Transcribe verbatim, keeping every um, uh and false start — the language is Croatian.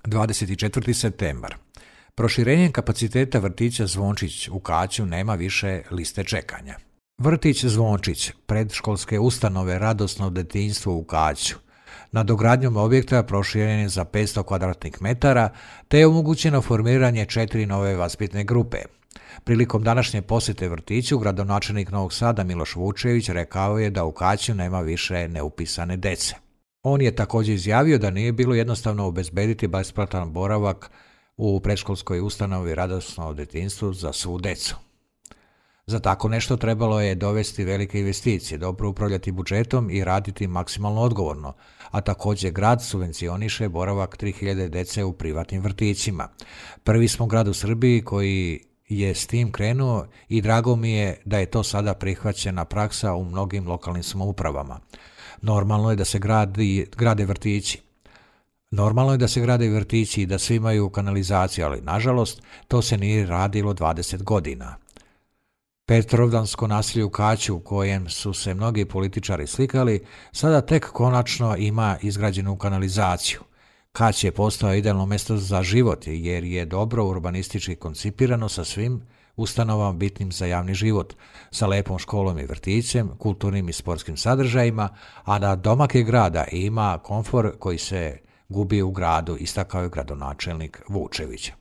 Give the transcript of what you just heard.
dvadeset četvrti septembar. Proširenjem kapaciteta vrtića Zvončić u Kaću nema više liste čekanja. Vrtić Zvončić, predškolske ustanove Radosno detinjstvo u Kaću, nadogradnjom objekta proširen je za petsto kvadratnih metara, te je omogućeno formiranje četiri nove vaspitne grupe. Prilikom današnje posjete vrtiću, gradonačelnik Novog Sada Miloš Vučević rekao je da u Kaću nema više neupisane dece. On je također izjavio da nije bilo jednostavno obezbediti besplatan boravak u predškolskoj ustanovi Radosno detinjstvu za svu decu. Za tako nešto trebalo je dovesti velike investicije, dobro upravljati budžetom i raditi maksimalno odgovorno, a također grad subvencioniše boravak tri hiljade dece u privatnim vrtićima. Prvi smo grad u Srbiji koji je s tim krenuo i drago mi je da je to sada prihvaćena praksa u mnogim lokalnim samoupravama. Normalno je da se gradi, grade vrtići. Normalno je da se grade vrtići i da svi imaju kanalizaciju, ali nažalost to se nije radilo dvadeset godina. Petrovdansko naselje u Kaću, u kojem su se mnogi političari slikali, sada tek konačno ima izgrađenu kanalizaciju. Kać je postao idealno mjesto za život jer je dobro urbanistički koncipirano sa svim ustanovama bitnim za javni život, sa lepom školom i vrtićem, kulturnim i sportskim sadržajima, a na domak je grada ima komfor koji se gubi u gradu, istakao je gradonačelnik Vučević.